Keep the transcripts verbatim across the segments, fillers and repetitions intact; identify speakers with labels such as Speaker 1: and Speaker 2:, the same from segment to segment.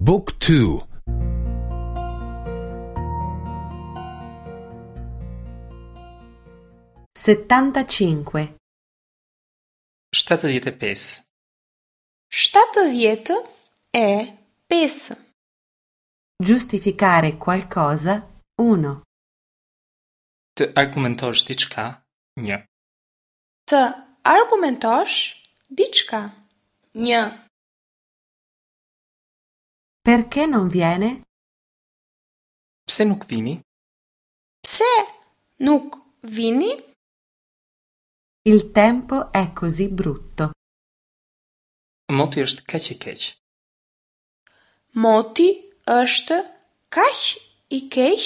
Speaker 1: Book two.
Speaker 2: Settantacinque.
Speaker 3: Shtatëdhjetë e pesë.
Speaker 4: Shtatëdhjetë e pesë.
Speaker 2: Giustificare qualcosa uno.
Speaker 3: Të argumentosh diçka një.
Speaker 4: Të argumentosh diçka një.
Speaker 2: Perché non viene?
Speaker 3: Pse nuk vini?
Speaker 4: Pse nuk vini?
Speaker 2: Il tempo è così brutto.
Speaker 3: Moti është kaq i keq.
Speaker 4: Moti është kaq i keq.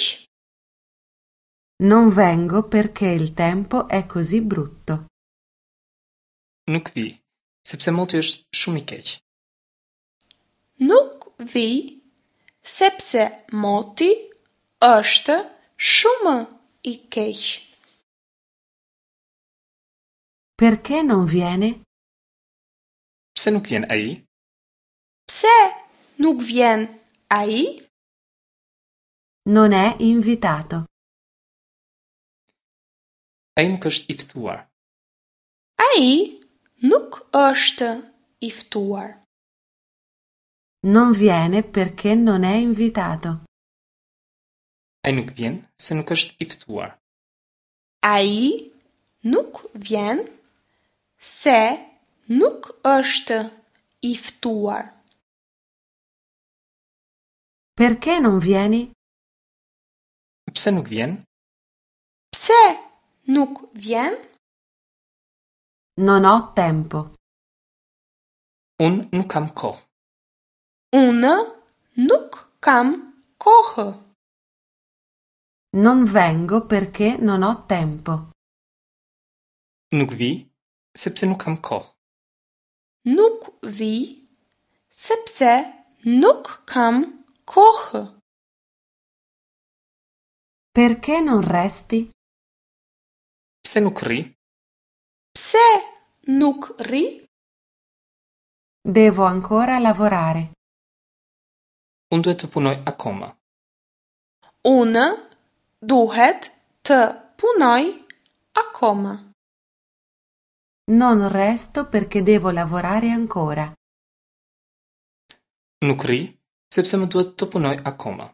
Speaker 2: Non vengo perché il tempo è così brutto.
Speaker 3: Nuk vi, sepse moti është shumë i keq.
Speaker 4: Nuk vi, sepse moti është shumë i keq.
Speaker 2: Perché non viene?
Speaker 3: Pse nuk vjen ai?
Speaker 4: Pse nuk vjen ai?
Speaker 2: Non è invitato.
Speaker 3: Ai nuk është i ftuar.
Speaker 4: Ai nuk është i ftuar.
Speaker 2: Non viene perché non è invitato.
Speaker 3: Ai nuk vjen se nuk është i ftuar.
Speaker 4: Ai nuk vjen se nuk është i ftuar.
Speaker 2: Perché non vieni?
Speaker 3: Pse nuk vjen?
Speaker 4: Pse nuk vjen?
Speaker 2: Non ho tempo.
Speaker 3: Unë nuk kam kohë.
Speaker 4: Unë nuk kam kohë.
Speaker 2: Non vengo perché non ho tempo.
Speaker 3: Nuk vi, sepse nuk kam kohë.
Speaker 4: Nuk vi, sepse nuk kam kohë.
Speaker 2: Perché non resti?
Speaker 3: Pse nuk rri?
Speaker 4: Pse nuk rri?
Speaker 2: Devo ancora lavorare.
Speaker 3: Unë duhet të punoj akoma.
Speaker 4: Unë duhet të punoj akoma.
Speaker 2: Non resto perché devo lavorare ancora.
Speaker 3: Nuk rri, sepse më duhet të punoj akoma.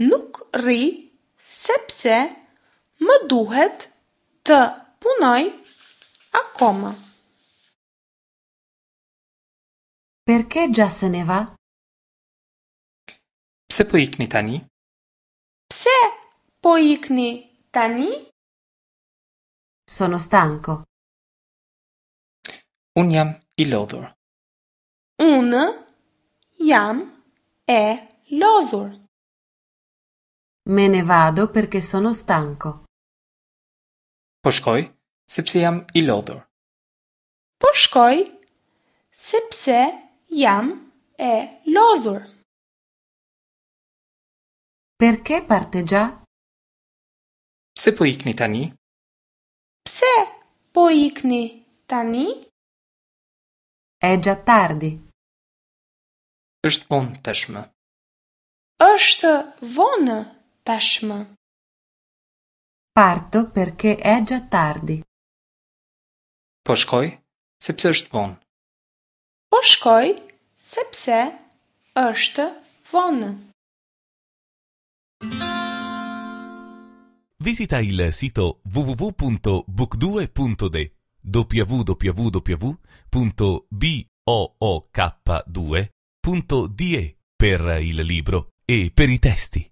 Speaker 4: Nuk rri, sepse më duhet të punoj akoma.
Speaker 2: Perché già se ne va?
Speaker 3: Pse po ikni tani?
Speaker 4: Pse po ikni tani?
Speaker 2: Sono stanco.
Speaker 3: Unë jam i lodhur.
Speaker 4: Unë jam e lodhur.
Speaker 2: Me ne vado perché sono stanco.
Speaker 3: Po shkoj sepse jam i lodhur.
Speaker 4: Po shkoj sepse jam e lodhur.
Speaker 2: Perché parte già?
Speaker 3: Pse po ikni tani?
Speaker 4: Pse po ikni tani?
Speaker 2: È già tardi.
Speaker 3: Është vonë tashmë.
Speaker 4: Është vonë tashmë.
Speaker 2: Parto perché è già tardi.
Speaker 3: Po shkoj sepse është vonë.
Speaker 4: Po shkoj sepse është vonë.
Speaker 1: Visita il sito w w w punto book due punto d e w w w punto b o o k due punto d e per il libro e per i testi.